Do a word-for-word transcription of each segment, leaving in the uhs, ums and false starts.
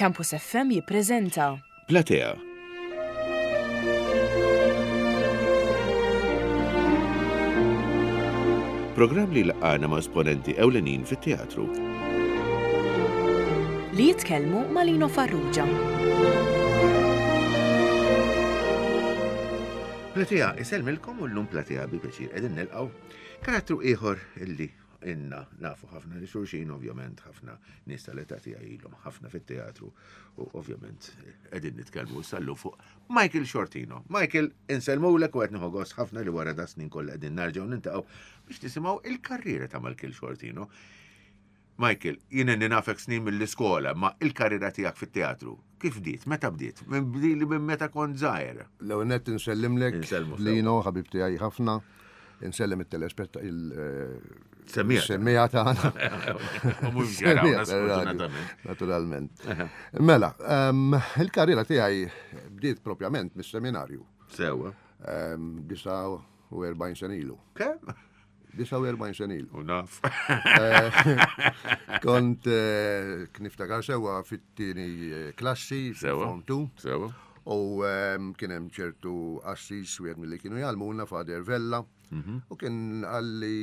Campus F M jippreżenta Platea. Programm li laqana ma' esponenti ewlenin fit-teatru. Li jitkellmu ma' Lino Farrugia. Platea, isellmilkom u llum Platea bi pjaċir qegħdin nilqgħu karattru ieħor illi inna nafu ħafna li xulxin, ovvjament ħafna nies tal-età tiegħi ilhom ħafna fit-teatru u ovvjament qegħdin nitkellmu sallu fuq Michael Sciortino. Michael, insellmulek u qed nieħu gost ħafna li wara da snin kollha qegħdin narġgħu nintaqgħu biex nisimgħu il-karriera ta' Michael Sciortino. Michael, jien inni nafek snin mill-iskola, ma il-karriera tiegħek fit-teatru, kif bdiet? Meta bdiet? Minn bdili minn meta kont żgħir. L-ewwel nett insellimlek, Insellmu sew. Lino, ħabib tiegħi ħafna, insellem it-telespetta il- Semmija. Semmija tagħna. U mhux jarawna, Semmija tar-radio, sfortunatament. Naturalment. Mela, ehm, il-karriera tiegħi bdiet propjament mis-seminarju. Sewa. Ehm, Disa u erbgħin sena ilu. Kemm? Disa u erbgħin sena ilu. U naf. Eh, kont eh, niftakar sewa fit-tieni eh, klassi, Sewa. Form two. Sewa. U ehm, kien hemm ċertu assis wieħed milli kienu jgħallmuna, Father Vella, Mhm. u kien għalli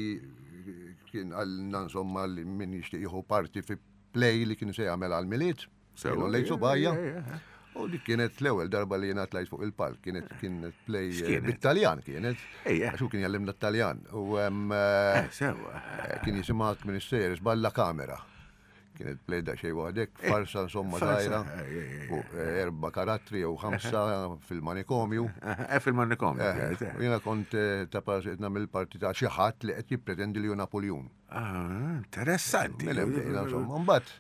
kien għalna insomma li min jixtieq jieħu parti fi play li kien se jagħmel għall-Milied. Sewa. Kienu lejn subajja. Ja, ja, ja. U dik kienet l-ewwel darba li jiena tlajt fuq il-palk, kienet kienet play eh, X'kienet? bit-Taljan kienet. Ejja. Għax hu kien jgħallimna t-Taljan. U ehm, eh, Eh, sewa. eh, kien jisimha Ministeris Balla Kamera. Kienet play da xejn waħdek, farsa insomma farsa, żgħira, eh, eh, eh, fuq eh, erba' karattri jew ħamsa fil-manikomju. Eh, fil-manikomju. Eh, eh, u jiena kont eh, ta' parsi qed nagħmel parti ta' xi ħadd li qed jippretendi li hu Napoleon. Ah, interessanti. Mela bdejna insomma, mbagħad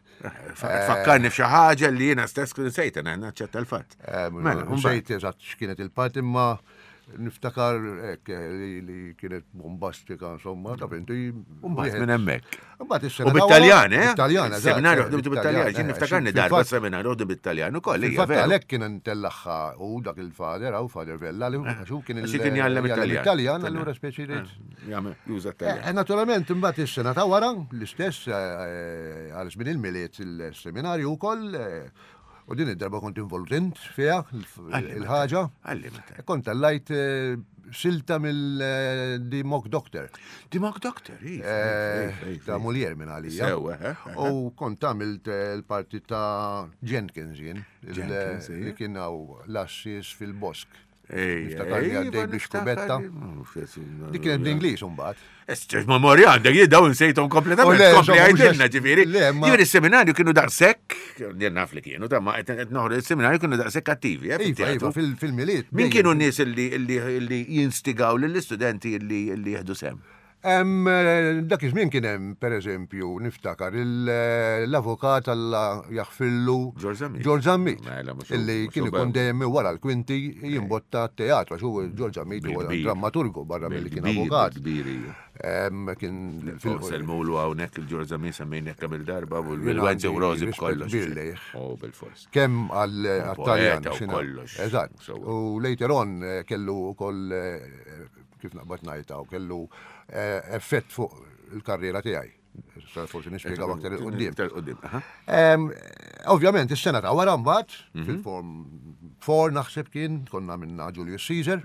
Fakkarni f'xi ħaġa li jiena stess kien sejt, jiena naċċetta l-fatt. eh, Mela, mbagħad. nsejt eżatt x'kienet il-parti imma niftakar hekk eh, li li kienet bombastika insomma, ta' inti. Mbagħad minn hemmhekk. Mbagħad is-sena U ta' wara- bit-Taljan, eh? Bit-Taljan, eżatt, Seminarju eh, ħdimtu bit-Taljan, bit-Taljan, ġin eh, niftakarni fil-fatt- darba seminarju ħdu bit-Taljan ukoll, hija Fil-fatt veru. għalhekk kien ntellaħħa u dak il-fader, għaw Fader Vella, li għax hu kien Għax kien jgħallem it-Taljan. it-Taljan, allura speċi rrid. Jagħmel juża t-Taljan. Eh, Naturalment, imbagħad is-sena ta' wara, l-istess eh, għal żmien il-Milied il-seminarju wkoll, eh, u din id-darba kont involut int fiha il-ħaġa. Għalli meta. Kont tellajt eh, silta mill-The Mock Doctor. The Mock Doctor, iva, Eh, iva, iva, ta' iva. Molière minn għalija. Sewa, eh, eh. U kont għamilt eh, l-parti ta' Jenkins jien, il- Jenkins, li ija. kien hawn l-assis fil-bosk. Ej, Niftakar li ej, għaddej iva, biex kubetta. niftakar. Dik kienet bl-Ingliż imbagħad. Esċeġ memorja għandek, jien dawn nsejthom kompletament. U le, Kompli insomma, mhux għajdilna għax- ġifieri. Le, ma- Ġifieri s-seminarju kienu daqshekk, jien naf li kienu, ta' ma qed qed noħroġ is-seminarju kienu daqshekk attivi, eh, Iva, fit-teatru. iva, fil- fil-Milied. Min dejjem. kienu n-nies illi illi illi jinstigaw lill-istudenti illi illi jieħdu sem? Em, eh, Dak iż-żmien kien hemm, pereżempju, niftakar il- eh, l-avukat Alla jaħfillu George Zammit. George Zammit. Mela, mhux hu- Illi mhux kien hu ikun bew. dejjem wara l-kwinti jimbotta t-teatru, għax hu George Zammit huwa Bil-kbir. drammaturgu barra milli kien Bil-kbir, avukat. bil-kbir, ija. Em, Kien fil- Selmulu hawnhekk il-George Zammit semmejna kemm il-darba u Jien l-Wenzi u għandi Rosi rispett b'kollox. kbir lejh. Oh, bil-fors. Kemm għal għat-Taljan. poeta u xina- kollox. Eżatt. Sewwa. U later on eh, kellu ukoll eh, kif naqbad ngħidha, u kellu eh, effett fuq il-karriera tiegħi. Issa forsi nispjegaw aktar 'il quddiem. Aktar 'il quddiem, aha. Em, Ovvjament, is-sena ta' wara mbagħad, Mhm. fil-form four naħseb kien, konna minna Julius Caesar.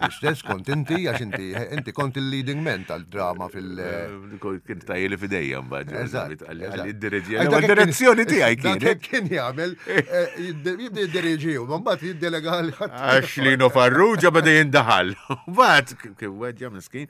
L-istess kont inti, għax inti inti kont il-leading man tal-drama fil- Eh, Kien tajjeli fidejja mbagħad. Eżatt, Għalli eżatt. id-diriġi. Għax dak Id-direzzjoni kien- tiegħi dak kienet. kien jagħmel, eh, jibde- jibda jidderieġi u mbagħad jiddelega l ħadd. Għax Lino Farrugia beda jindaħal. Mbagħad kien weġġa miskin.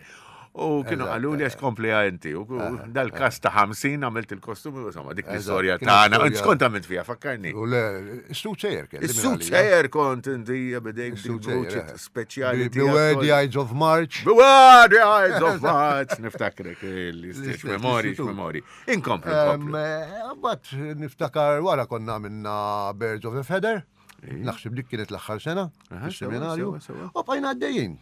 U kienu Eżatt, qalu li għax kompli inti. U dal-kas ta' ħamsin għamilt il-kostumi, insomma, dik Eżatt, l-istorja kienet tagħna. storja- X'kont għamilt fiha, fakkarni. U le, is-soothsayer kelli. minn Is-suit għalija. sejjer kont inti bidejk dik Is-soothsayer, vuċi eh. speċjali. Be- Beware the Ides of March. Beware the Ides of March. Niftakrek l-istess L-istess, memori, l-istitut. memori. Inkomplu, Em, inkomplu. eh, Mbagħad niftakar wara konna minna Birds of a Feather. Naħseb dik kienet l-aħħar sena Aha, fis-seminarju. sewa, sewa, sewa. U bqajna għaddejjin.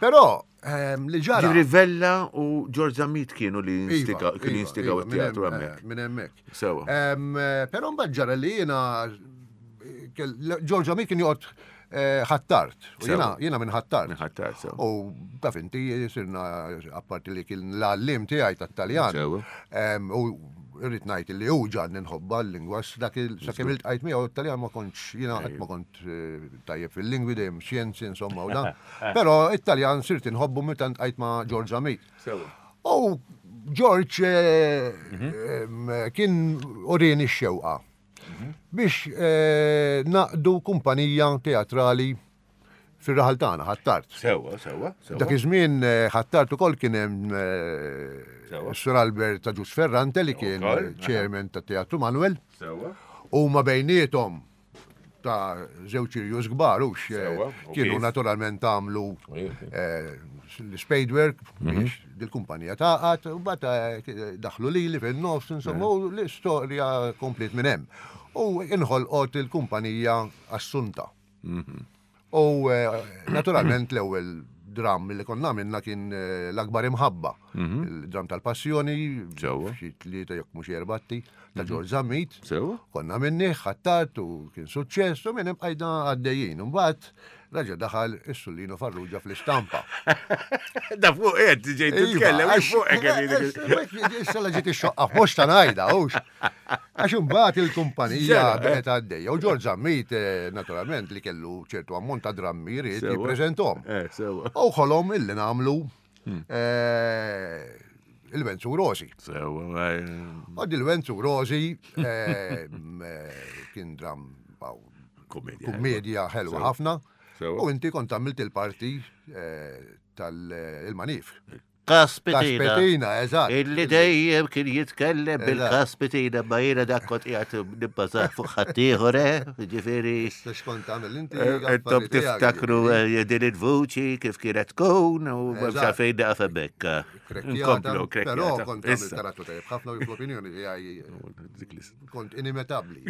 Però em, li ġara. Ġifieri Vella u George Zammit kienu li Iva, jinstigaw kienu iva, jinstigaw iva, minn it-teatru hemm- hemmhekk. eh, Minn hemmhekk. Sewa. Em, eh, Però mbagħad ġara li jiena kell- George Zammit kien joqgħod eh, Ħ'Attard. U Sewa. jiena jiena minn Ħ'Attard. Minn Ħ'Attard, sewa. U taf inti sirna apparti li kien l-għallim tiegħi tat-Taljan. Sewa. Em, U irrid ngħid li hu ġagħalni nħobbha l-lingwa dak il sakemm iltqajt miegħu it-Taljan ma kontx jiena qatt ma kont eh, tajjeb fil-lingwi dejjem xjenzi insomma u dan. Però it-Taljan sirt inħobbu meta ltqajt ma' George Zammit. Sewa. U George eh, em, kien urini x-xewqa biex eh, naqdu kumpanija teatrali fir-raħal tagħna, Ħ'Attard. Sewa, sewa, sewa. Dak iż-żmien eh, Ħ'Attard ukoll kien hemm eh, Sewa. Sur Albert ta' Ġus Ferrante li kien Ukoll, eh, chairman ta' Teatru Manuel Sewa. u ma bejniethom ta' żewġ irjus kbar hux eh, Sewa, u kienu kif? naturalment għamlu Iva. eh, l-spadework biex dil-kumpanija taqat u bata daħlu lili fin-nofs insomma u l-istorja komplet minn hemm. U inħolqot il-kumpanija Assunta. U eh, naturalment l-ewwel dram li konna minna kien eh, l-akbar imħabba. Il-dram tal-passjoni, Sewa. xi tlieta jekk mhux erbatti, ta' George Zammit. Sewa. Konna minni, Ħ'Attard u kien suċċess u minn hemm bqajna għaddejjin. Mbagħad raġa daħal is-Sur Lino Farrugia fl-istampa. Da fuq qed ġejt titkellem, Iva, fuq hekk Issa la ġiet ix-xoqqa mhux ta' ngħidha, hux. Għax imbagħad il-kumpanija Ġera, eh. baqgħet għaddejja. U George Zammit, eh, naturalment, li kellu ċertu ammont ta' drammi jrid Sewa. jippreżentom. Eh, sewa. U ħolom illi nagħmlu eh, il-Wenzu Rosi. Sewa. U dil-Wenzu Rosi eh, m, eh, kien dram aw, Komedja. kummedja ħelwa Sewa. ħafna. Sewa. U inti kont għamilt il-parti eh, tal-manif. Kaspitina. Kaspitina, eżatt. Illi dejjem kien jitkellem Eżatt. bil-kaspitina, ma jiena dak kont qiegħed nibbażat fuq ħaddieħor, eh? Ġifieri. Issa x'kont tagħmel inti. Intom affarijiet tiegħek, tiftakru ġifieri. eh, din il-vuċi kif kienet tkun u Eżatt. m'hemmx għalfejn naqaf hemmhekk. Krekkjata, Nkomplu, Però krekkjata. kont għamilt Issa. karattru tajjeb ħafna u fl-opinjoni tiegħi kont inimitabbli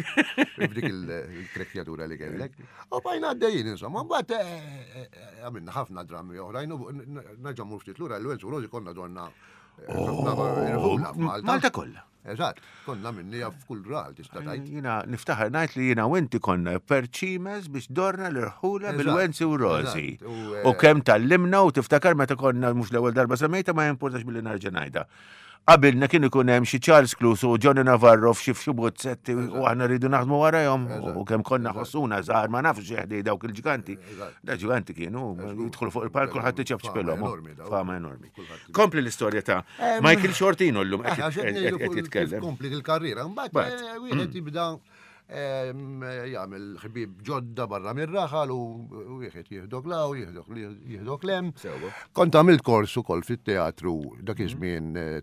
f'dik il-krekkjatura li kellek. U bajna għaddejjin, insomma, mbagħad eh, eh, għamilna ħafna drammi oħrajn u nerġa' mmur ftit lura l-Wenzu Rosi konna donna eh, ħafna irħula f'Malta. Malta kollha. Eżatt, konna minnija f'kull raħal tista' tgħid. Jiena niftaħar ngħid li jiena u inti konna perċimes biex dorna l-irħula Eżatt, bil-Wenzi u Rosi. eżatt, u, eh, U kemm tallimna u tiftakar meta konna mhux l-ewwel darba semmejta ma jimportax billi nerġa' ngħidha. Qabilna kien ikun hemm xi Charles Cluse u Johnny Navarro f'xi f'xi bozzetti u aħna rridu naħdmu warahom u kemm konna ħossuna żgħar ma nafx xi dawk il-ġiganti. Eżatt. Da ġiganti kienu jidħlu fuq il-palk kulħadd iċapċpilhom. Fama enormi daw. Fama enormi. Kulħadd- Kompli l-istorja ta' Michael Sciortino llum Eh, qed għax qed qed- ngħidu qed kull- kif jitkellem. Kompli il-karriera, mbagħad Mbagħad. eh, wieħed jibda em, jagħmel ħbieb ġodda barra mir-raħal u wieħed jieħdok la u jieħdok jieħdok lem. Sewa. Kont għamilt kors ukoll fit-teatru dak iż-żmien eh,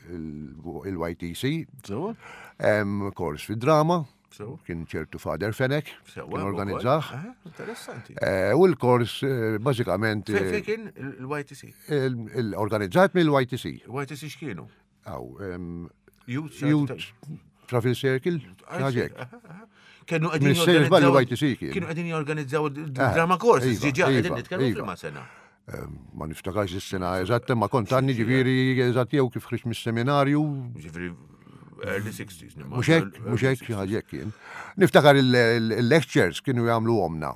tal-Y T C, Sewa? em, kors fid-drama, Sewa. kien ċertu Father Fenek, Sewa. kien organizzah. Aha, interessanti. Eh, U l-kors eh, bażikament Fejn eh, fejn kien il-Y T C? il- il- organizzat mill-Y T C. Y T C x'kienu? Aw, em, Youth Youth Travel Circle, ħaġek. Kienu qegħdin Ministeru żball jorganizzaw- il-Y T C kien. Kienu qegħdin jorganizzaw drama courses, iva, ġiġa qegħdin iva, nitkellmu iva. fil sena. Ma niftakarx is-sena eżatt, ma kont għandni ġifieri eżatt jew kif ħriġt mis-seminarju, Ġifieri early sixties. nimma- mhux hekk, mhux hekk xi ħaġa hekk kien. Niftakar il-lectures kienu jagħmlu omna.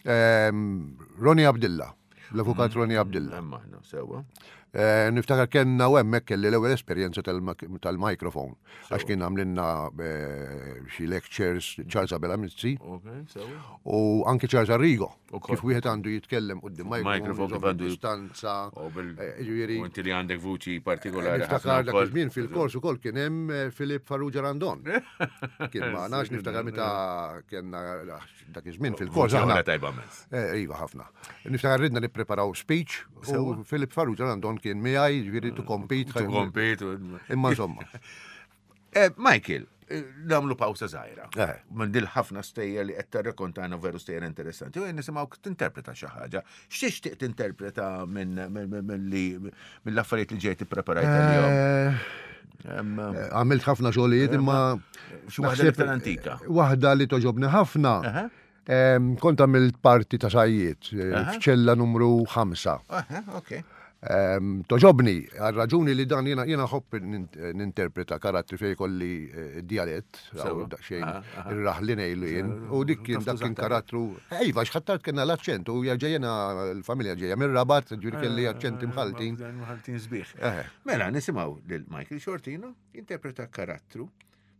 Ehm, Ronnie Abdilla, l-avukat Ronnie Abdilla. Hemm aħna, sewa. Eh, Niftakar kellna u hemmhekk kelli l-ewwel esperjenza tal-mikrofon. Għax kien għamlinna eh, xi lectures Charles Abela Mizzi Ok, sewa. u anke Charles Arrigo. Ukoll. Kif wieħed għandu jitkellem quddiem Microphone, mikrofon, kif għandu- distanza. U bil- eh, Ġifieri, U inti li għandek vuċi partikolari. Niftakar ħafna dak wkoll. iż-żmien fil-kors ukoll kien hemm eh, Filip Farrugia Randon. Kien ma nafx niftakar meta kellna dak iż-żmien fil-kors Vuċi aħna. oħra tajba mezz. Eh, Iva ħafna. Niftakar ridna nippreparaw speech u Filip Farrugia Randon kien miegħi, ġifieri to compete. To compete. Imma insomma. Eh, Michael, eh, nagħmlu pawsa żgħira. Eh. Minn dil ħafna stejjer li qed tarrakontana veru stejjer interessanti. U jien nisimgħu tinterpreta xi ħaġa. X'tixtieq tinterpreta minn minn- minn- minn li mill-affarijiet li ġejt ippreparajt għal-jom? Eh, Em, Għamilt ħafna xogħlijiet imma Xi waħda naħseb- l-iktar antika. Waħda li toġobni ħafna. Aha. Em, Kont għamilt parti ta' sajjiet eh, Aha. f'ċella numru ħamsa. Aha, ok. Ehm, Toġobni, għal raġuni li dan jena jena ħobb ninterpreta karattri fej kolli eh, dialett, Sewa. daqsxejn Aha, aha. ir-raħli ngħidu jien, u dik kien dak kien karattru, ejva, x'ħattart kellna l-aċċent, u ġejjena l-familja ġejja mir-Rabat, ġifieri kelli aċċenti mħaltin. Mħaltin sbieħ. Eħe. Mela, nisimgħu lil Michael Shortino jinterpreta karattru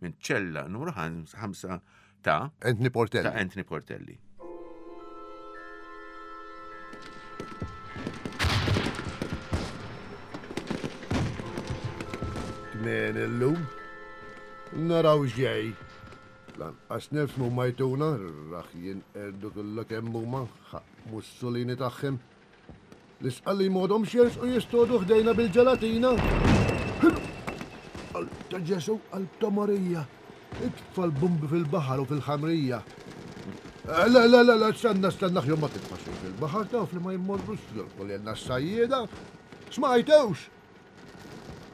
minn ċella numru ħamsa ta' Anthony Portelli. ta' Anthony Portelli. Tnejn illum. Naraw ġej. Lanqas nifhmu ma jtuna, raħ jinqerdu kollha kemm huma, ħaq Mussolini tagħhom. L-isqalli modhom xers u jistodu ħdejna bil-ġelatina. Qalb ta' Ġesu, qalb ta' Marija. Itfa l-bumbi fil-baħar u fil-ħamrija. Eh, Le, le, le, le, stenna, stenna, ħjom ma titfa xejn fil-baħar, taf li ma jmorrux jolqu lilna s-sajjieda. Smajtewx!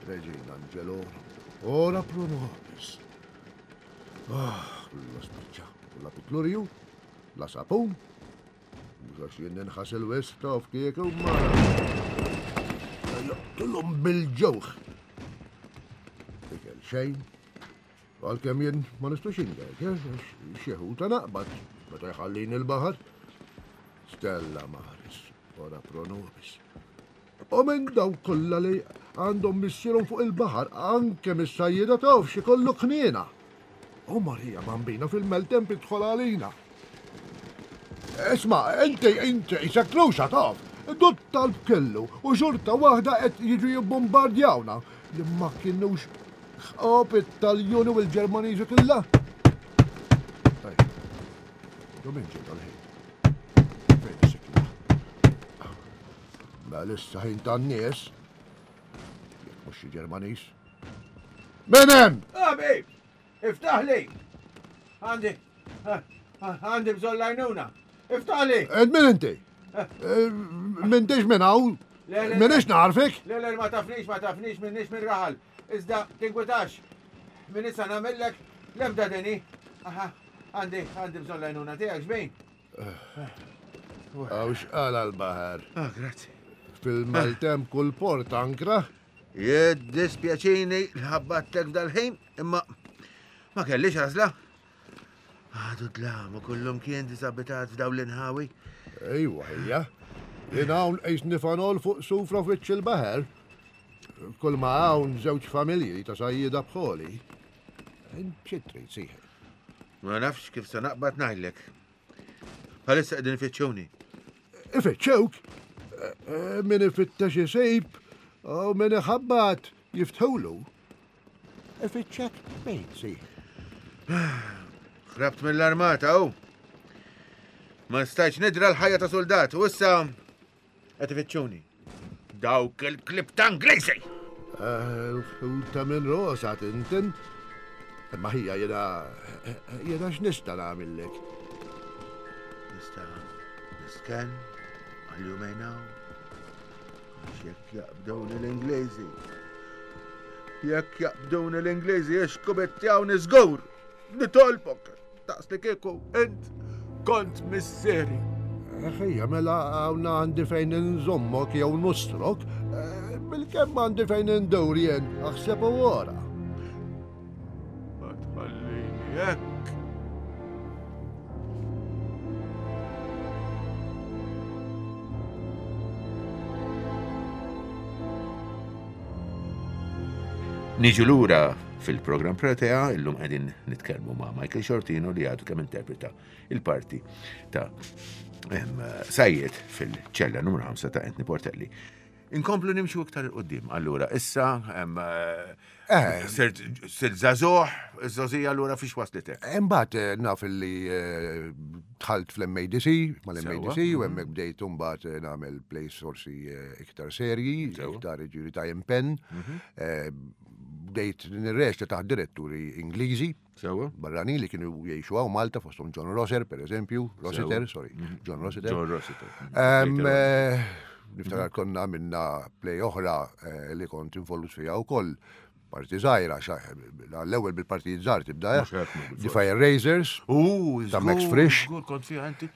Regina Angelorum, ora pro nobis. Ah, la spiċċa, la pitlurju, la sapun, mhux għax jien ninħas il-west taf kieku ma. Joqtulhom bil-ġewħ. Ikel xejn, għalkemm jien ma nistux ingek, eh, għax xi ħuta naqbad, meta jħallini l-baħar. Stella Maris, ora pro nobis. U minn daw kollha li għandhom missierhom fuq il-baħar, anke mis-sajjieda taf xi kollu kniena. U Marija Bambina fil-meltemp idħol għalina. Isma, inti, inti, isek truxa taf. Dut talb kellu u xorta waħda qed jiġu jibbombardjawna li ma kienux ħop it-Taljuni u l-Ġermaniżi kollha. Tajb, do minn ġej dal-ħin? Fejn is-sikla? Mela issa ħin tan-nies. Jekk mhux xi Ġermaniż. Min hemm? Abi, iftaħli! Għandi, għandi bżonn lajnuna. Iftaħli! Ed min inti? Eh, M'intix minn hawn? Le, le, Minix narfek? Le, le, ma tafnix, ma tafnix, minnix minn raħal. Iżda, tinkwitax. Minn issa nagħmellek l-ebda deni. Aha, għandi, għandi bżonn lajnuna tiegħek xbejn. Għaw xqala l-baħar. Ah, grazzi. Fil-maltemp kull port ankra. Jiddispjaċini l-ħabbattek dal-ħin, imma ma kellix għażla. Għadu dlam u kullum kien disabitat f'daw l-inħawi. Ejwa ħija. Jien hawn qis nifanol fuq sufra f'wiċċ il-baħar. Kull ma hawn żewġ familji ta' sajjieda bħoli. Int xi trid sieħeb? Ma nafx kif se naqbad ngħidlek. Bħalissa qegħdin ifittxuni. Ifittxewk. Eh, eh, Min ifittex isib u min iħabbat jiftħulu. Ifittxek min sieħeb. Ħrabt mill-armata u. Ma stajtx nidra l-ħajja ta' soldat u issa qed ifittxuni. Dawk il-klib ta' Ingliżi! Ħuta minn rosa tintin. Imma ħija jena, jena x'nista' nagħmillek. Nista' nisken għal jumejn hawn. Għax jekk jaqbduni l-Ingliżi. Jekk jaqbduni l-Ingliżi jixkubettjawni żgur. Nitolbok daqs li kieku int kont missieri. Ħija, mela hawn għandi fejn inżommok jew nustrok, eh, bil-kemm għandi fejn indur jien, aħseb u wara. Ma tħallini hekk. Niġu lura fil-program Protea, illum qegħdin nitkellmu ma' Michael Shortino li għadu kemm interpreta il-parti ta' em, Sajjed fil-ċella numru ħamsa ta' Anthony Portelli. Inkomplu nimxu iktar il-qoddim. Allura, issa, em, Eh. sirt sirt żagħżugħ, iż-żgħożija allura fiex waslitek? Imbagħad eh, naf li eh, dħalt fl-M A D C, mal-M A D C, Sewwa. u hemmhekk bdejt imbagħad eh, nagħmel plays forsi eh, iktar serji, Sewwa. iktar ġiri ta' impenn. Eh, Bdejt nirreċta taħt diretturi Ingliżi, Sewwa? barranin li kienu jgħixu hawn Malta, fosthom John Rosser, per eżempju, Rossiter, sorry, John Rossiter. John Rossiter. Em, Later on. eh, Niftakar konna minna play oħra eh, li kont involut fiha wkoll Parti żgħira, l-ewwel bil-partijiet żgħar tibda. Mhux hekk, mhux The Fire Raisers. U, Ta' Max Frisch. Żgur kont fiha inti.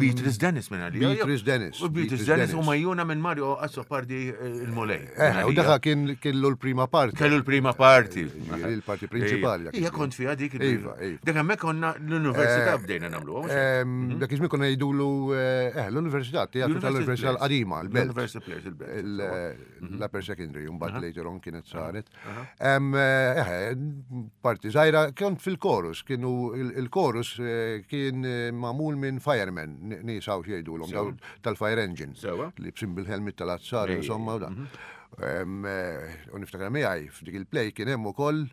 Beatrice Dennis minn għalija. Beatrice Dennis. U Beatrice Dennis u majjuna minn Mario Azzopardi eh, il-Mulej. Eh, u daħa kien kellu l-prima parti. Kellu l-prima parti. Ġifieri l-parti prinċipali. dak Ija iż-żmien. kont fiha dik. Iva, iva. Dik hemmhekk konna l-università bdejna nagħmluha. mhux hekk? Ehm, Dak iż-żmien konna jgħidulu eh, eh, l-università, teatru tal-Università l-qadima, l-Belt. L-University Players, il-Belt. Il- L-upper secondary, mbagħad later on kienet saret. Em, eh, Parti żgħira, kont fil-chorus, kienu il-chorus eh, kien eh, magħmul minn firemen, nies hawn x'jgħidulhom, daw tal-fire engine. Sewa. Li bsim bil-helmet tal-azzar, Ej, insomma, u da. Em, eh, U niftakar miegħi f'dik il-play kien hemm ukoll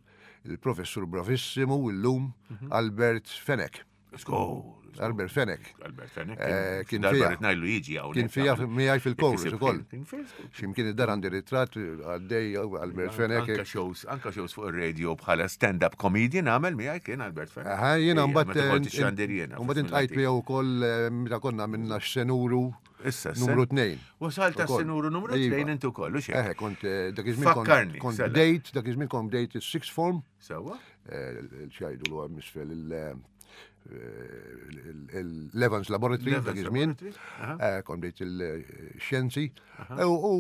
il-professur bravissimu illum Albert Fenech. Żgur. Albert Fenech. Albert Fenech. Eh, kien Darba fija. rrid ngħidlu jiġi hawnhekk. Kien fija miegħi fil-chorus Jekk isib ukoll. kien- kien fil- X'imkien id-dar għandi ritratt għaddej Albert Fenech. Anka shows, anka shows fuq ir-radio bħala stand-up comedian għamel miegħi kien Albert Fenech. Aha, jiena Ejja, mbagħad meta kont ixxandir jiena. Mbagħad intqajt miegħu wkoll eh, meta konna minna x-senuru Issa, numru tnejn. Wasalt Ukoll. tas-senuru numru Iva. tnejn intu kollu xejn. Eħe, kont eh, dak iż-żmien kont- Fakkarni, kont sela. bdejt, dak iż-żmien kont bdejt is-sixth form, Sewwa? eh, x'jgħidu l misfel il- eh, il- l-Evans Laboratory L-Evans dak iż-żmien. Laboratory, aha. Eh, Kont bdejt il-xjenzi. U u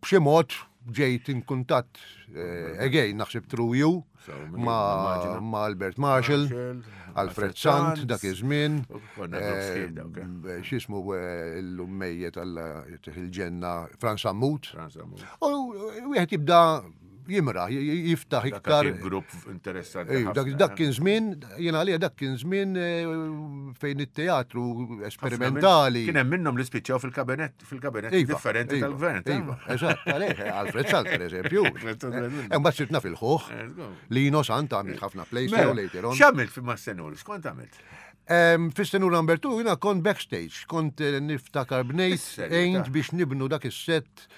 b'xi mod ġejt in kuntatt eh, again naħseb through you So, minn- ma' immaġina. ma' Albert Marshall, Marshall, Alfred Sant dak iż-żmien. U konna grupp sħiħ dawk, eh. Eh, X'ismu eh, illum mejjet alla il-ġenna Frans Sammut. Frans Sammut. U wieħed jibda jimra, jiftaħ Dak iktar. kien grupp interessanti. Ej, Dak ħafna, dak eh. kien żmien, jiena għalija dak kien żmien eh, fejn it-teatru Ħafna esperimentali. minn- Kien hemm minnhom li spiċċaw fil-kabinett fil-kabinett Iva, differenti iva, tal-gvern. ta' Iva, eżatt, għalih, Alfred Sant, per eżempju. Alfred Sant, per eżempju. Eh, Mbagħad sirtna fil-ħuħ. Eh, żgur. Lino Sant għamil ħafna plays Mela, tiegħu later on. X'għamilt fi mas-senur? X'kont għamilt? Em, Fis-senur number two, jiena kont backstage, kont eh, niftakar bnejt, Is-serjetà. għejnt biex nibnu dak is-set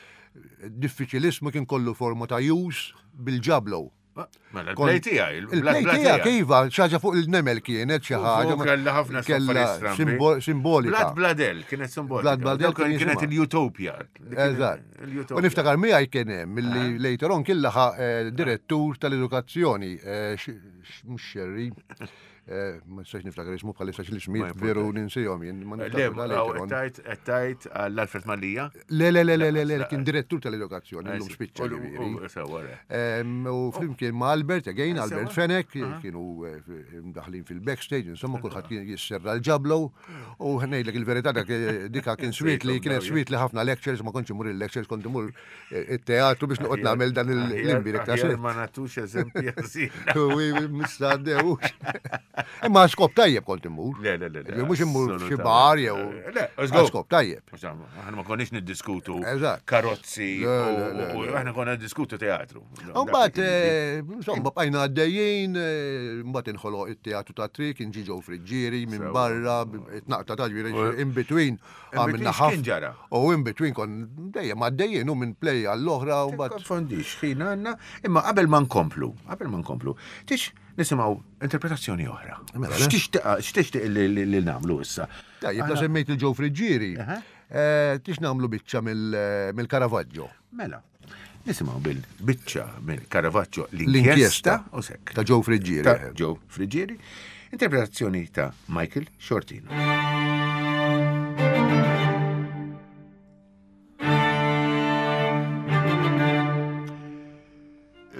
diffiċilismu kien kollu forma ta' jus bil-ġablow. Mela, Kont- il-play tiegħi, Il-play tiegħek, iva, xi ħaġa fuq il-nemel kienet xi ħaġa. U kellha ħafna Kella affarijiet strambi. simbo- simbolika. Blad Bladel, kienet simbolika. Blad Bladel Dawk kien Kienet jisimha. il-Utopia. Eżatt. Il-Utopia. U niftakar miegħi kien hemm milli later on kien laħaq eh, direttur tal-edukazzjoni, eh, x- x- mhux Xerri, eh, ma nistax niftakar ismu bħalissa x'l-ismijiet Ma veru ninsihom jien, ma Le, niftakar da later on. tajt, tajt għall-Alfred Mallia. Le, le, le, le, le, le, kien direttur tal-edukazzjoni, Eh, illum spiċċa ġifieri. Sewa, re. Em, U flimkien ma' Albert, again, Albert Sewa. Fenech, kienu eh, f- mdaħlin fil-backstage, insomma, kulħadd kien jisserra l-ġablow, u ngħidlek il-verità dak eh, dika kien sweet li kienet sweet li ħafna lectures, ma kontx imur il-lectures, kont imur eh, it-teatru biex noqgħod nagħmel dan l-imbirek ta' Aħjar set. ma natux eżempji ħażina. U mistadewx. Imma skop tajjeb kont immur. Le, le, le, le, Mhux immur f'xi assolutament. bar jew. Le, żgur. Skop tajjeb. Insomma, Aħna ma konniex niddiskutu Eżatt. karozzi, Le, le, le, u- u le. aħna konna niddiskutu teatru. Mbagħad, eh, insomma, bqajna għaddejjin, eh, mbagħad inħoloq it-teatru ta' trik, inġi ġew Friġġieri minn Sewa. barra, it-naqta ta' ġifieri in between għamilna x'kien ħafna. ġara? U in between kon dejjem għaddejjin u minn play għall-oħra u mbagħad. Konfondix, ħin għanna, imma qabel ma nkomplu, qabel ma nkomplu, tix nisimgħu interpretazzjoni oħra. Mela, le. X'tixtieq x'tixtieq li li- li nagħmlu issa? Tajjeb, la semmejt il-ġew Friġġieri. Aha. eh, Tix nagħmlu biċċa mill- mill-Caravaggio. Mela, nisimgħu bil-biċċa minn Caravaggio L-inkjesta l-inkjesta u sekk. Ta' Joe Friggieri. Ta' Joe Friggieri, interpretazzjoni ta' Michael Shortino.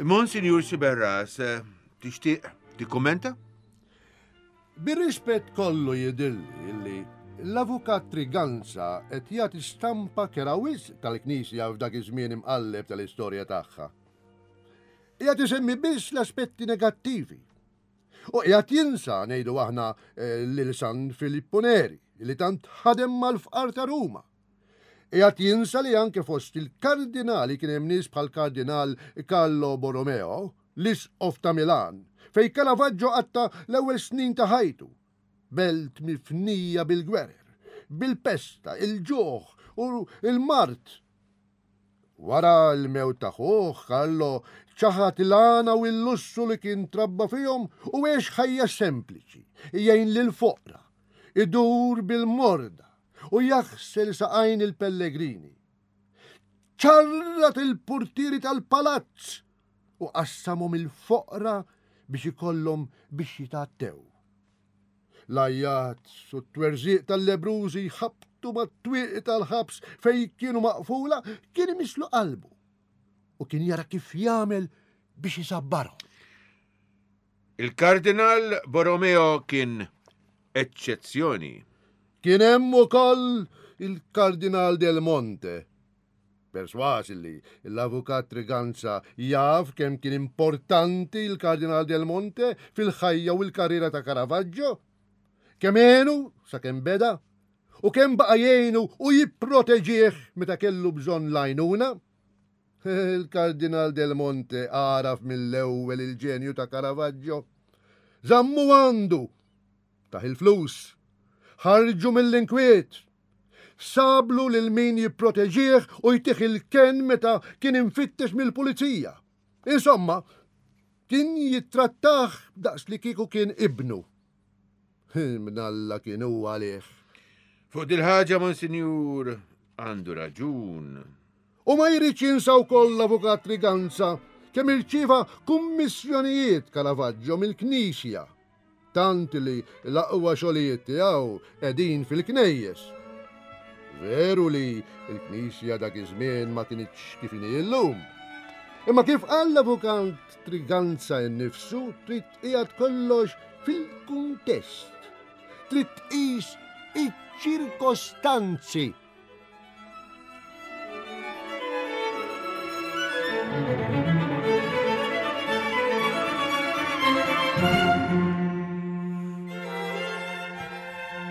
Monsignor Sciberras, eh, tixtieq tikkummenta? Bir-rispett kollu jidilli illi l-avukat Triganza qed jagħti stampa kera wisq tal-Knisja f'dak iż-żmien imqalleb tal-istorja tagħha. Qiegħed isemmi biss l-aspetti negattivi. U qiegħed jinsa ngħidu aħna eh, lil San Filippo Neri li tant ħadem mal-fqar ta' Ruma. Qiegħed jinsa li anke fost il-kardinali kien hemm nies bħal kardinal Carlo Borromeo, l-isqof ta' Milan, fej Caravaggio qatta l-ewwel snin ta' ħajtu. Belt mifnija bil-gwerer, bil-pesta, il-ġuħ u il-mart. Wara l-mewt ta' ħuh, Carlo ċaħat l-għana u l-lussu li kien trabba fihom u għex ħajja sempliċi, jgħin lil foqra, idur bil-morda u jaħsel saqajn il-pellegrini. ċarrat il-portieri tal-palazz U qassamhom il-foqra biex ikollhom biex jitgħattew. L-għajjat u t-twerżiq tal-lebbrużi jħabbtu mat-twieqi tal-ħabs fejn kienu maqfula kien imisslu qalbu u kien jara kif jagħmel biex isabbarhom. Il-Kardinal Borromeo kien eċċezzjoni. Kien hemm ukoll il-Kardinal Del Monte. Perswas li l-Avukat Triganza jaf kemm kien importanti l-Kardinal Del Monte fil-ħajja u l-karriera ta' Caravaggio. Kemm għenu sakemm beda u kemm baqa' jgħinu u jipproteġih meta kellu bżonn l-għajnuna. Il-Kardinal Del Monte għaraf mill-ewwel il-ġenju ta' Caravaggio. Żammu għandu, tah il-flus, ħarġu mill-inkwiet, sablu lil min jipproteġih u jtih il-kenn meta kien imfittex mill-pulizija. Insomma, kien jittrattah daqs li kieku kien ibnu. Mnalla kien hu għalih. Fuq dil-ħaġa, Monsinjur, għandu raġun. U ma jridx jinsa wkoll l-Avukat Triganza kemm irċieva kummissjonijiet Caravaggio mill-Knisja, tant li l-aqwa xogħlijiet tiegħu qegħdin fil-knejjes. Veru li l-Knisja dak iż-żmien ma kinitx kif inhi llum. Imma kif qal l-Avukat Triganza nnifsu, trid tqiegħed kollox fil-kuntest. Trid tqis iċ-ċirkostanzi.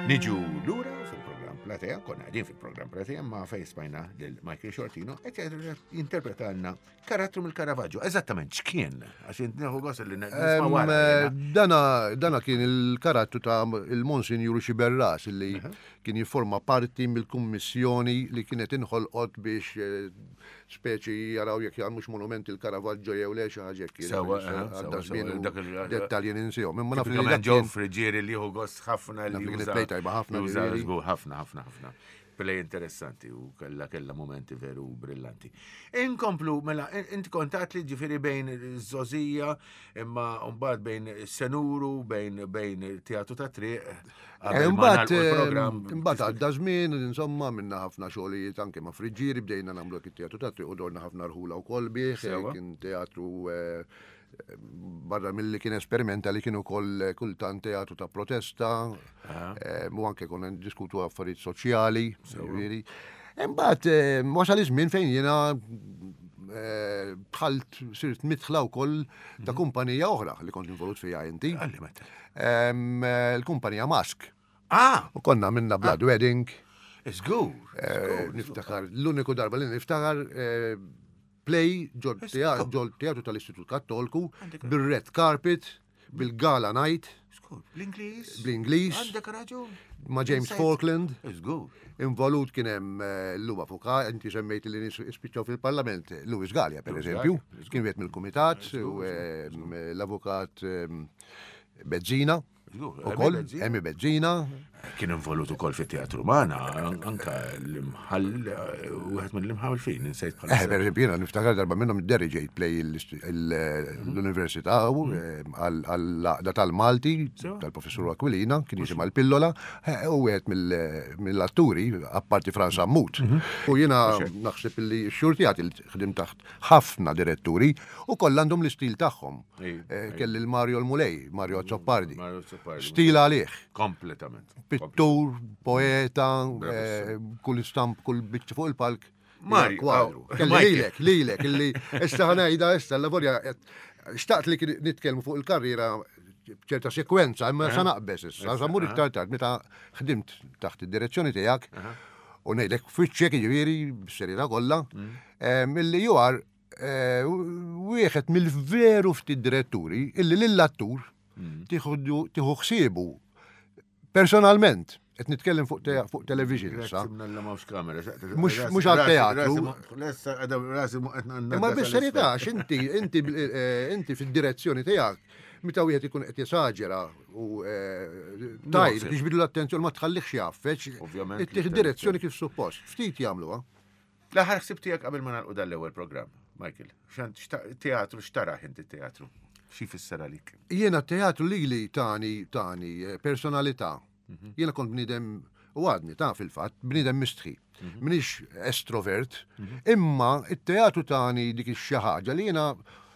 Niġu lura fil-programm Platea, konna qegħdin fil-programm Platea ma fejn smajna lil Michael Sciortino qed jinterpretalna karattru mill-Caravaggio. Eżattament x'kien? Għax int nieħu gost li nisma' wara. Dana, dana kien il-karattru ta' il-Monsinjur Xiberras li kien jifforma parti mill-kummissjoni li kienet inħolqot biex speċi jaraw jekk jagħmlux monument il-Caravaggio jew le xi ħaġa hekk. Sewwa, sewwa, żmien dak il- dettalji ninsihom. Imma naf li Tipikament dak kien Joe Friggieri li jieħu gost ħafna Naf li li kienet juża- play tajba ħafna, juża ġifieri. żgur ħafna, ħafna, ħafna. Play interessanti u kella kella momenti veru brillanti. Inkomplu, mela, in- inti kontat li ġifieri bejn żgħożija, imma mbagħad bejn senuru, bejn bejn teatru ta' triq. Eh, Imbagħad imbagħad għadda żmien, insomma, minna ħafna xogħlijiet anke ma' Friggieri, bdejna nagħmlu hekk it-teatru ta' triq u dorna ħafna rħula wkoll bih, Sewwa. kien teatru eh, barra milli kien esperimenta li kien ukoll kultant teatru ta' protesta, eh, u anke konna ndiskutu affarijiet soċjali, ġifieri. Imbagħad eh, wasal iż-żmien fejn jiena eh, dħalt sirt midħla wkoll ta' kumpanija oħra li kont involut fiha inti. Għalli meta. Em, eh, Il-kumpanija Mask. Ah, U konna minna Blood Wedding. żgur. eh, Niftakar, l-uniku darba li niftakar eh, play ġol teatru tal-Istitut Kattolku bil-red carpet, bil-gala night, Żgur. Bl-Ingliż. bl-Ingliż, Għandek raġun. ma' James Insajt. Falkland. Żgur. Involut kien hemm eh, l-lum avukat, inti semmejt li nies spiċċaw fil-Parlament, Louis Galea per eżempju, kien wieħed mill-kumitat, u eh, l-avukat eh, Bezzina, Żgur, ukoll, Emi Bezzina. Emi Bezzina, Kien involut ukoll fit-teatru magħna, anka l-imħall, wieħed mill-imħallfin, insejt Eh, bħalissa. per eżempju, jiena niftakar darba minnhom idderriġejt play l-Università u, eh, għal- għall-għaqda tal-Malti, tal-professur Aquilina, kien jisimha l-Pillola, eh, u wieħed mill- mill-atturi, apparti Frans Sammut. U jiena naħseb li x-xurtijat li ħdim taħt ħafna diretturi u kollha għandhom l-istil tagħhom. Ej, Eh, Kelli l-Mario l-Mulej, Mario Azzopardi. Mario Azzopardi. Stil għalih. Kompletament. Pittur, poeta, eh, kull stamp, kull biċċa fuq il-palk. Mario, kwadru. aw, Kelli Michael. lilek, lilek, illi issa ħanajda, issa l-lavorja, xtaqt li kien nitkellmu fuq il-karriera ċerta sekwenza, imma sa naqbes issa, sa mur iktar tard, meta ħdimt taħt id-direzzjoni tiegħek, u ngħidlek fitxek jiġifieri b'serjetà kollha, em, illi you are eh, wieħed mill-veru ftit diretturi illi lill-attur tieħu tieħu ħsiebu personalment. Qed nitkellem fuq te- fuq television issa. Grazzi mnalla mawx kamera. Mhux- mhux għal-teatru. Imma bis-serjetà, għax inti inti eh, inti fid-direzzjoni tiegħek meta wieħed ikun qed jesaġera u eh, tajr biex bidu l-attenzjoni ma tħallihx jaffeċ. Ovvjament. Ittieħ direzzjoni kif suppost. Ftit jagħmluha. L-aħħar ħsib tiegħek qabel ma nagħlqu dan l-ewwel programm. Michael, teatru x'taraħ inti teatru? Xi jfisser għalik? Jiena teatru lili tani tani eh, personalità. Mhm. Jiena kont bniedem u għadni ta' fil-fatt bniedem mistħi. Mhm. Minix estrovert, mhm. imma it-teatru tani dik ix-xi ħaġa li jiena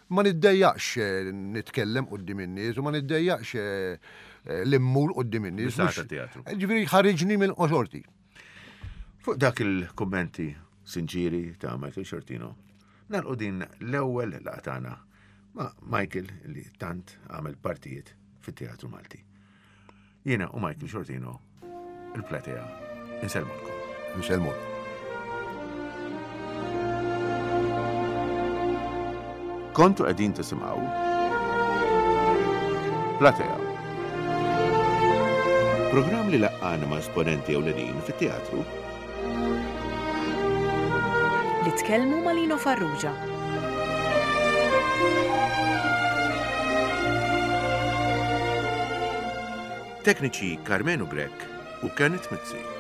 ma niddejjaqx eh, nitkellem quddiem in-nies u ma niddejjaqx eh, li mmur quddiem in-nies. Ġifieri ħariġni minn qoxorti. Fuq dak il-kummenti sinċiri ta' Michael Sciortino, nagħlqu din l-ewwel laqgħa tagħna ma' Michael li tant għamel partijiet fit-teatru Malti. Jiena u Michael Sciortino, il-platea, insellmulkom. Insellmulkom. Kontu qegħdin tisimgħu Platea. Programm li laqqana ma' esponenti ewlenin fit-teatru Li tkellmu ma' Lino Farrugia. Tekniċi Karmenu Grech u Kenneth Mizzi.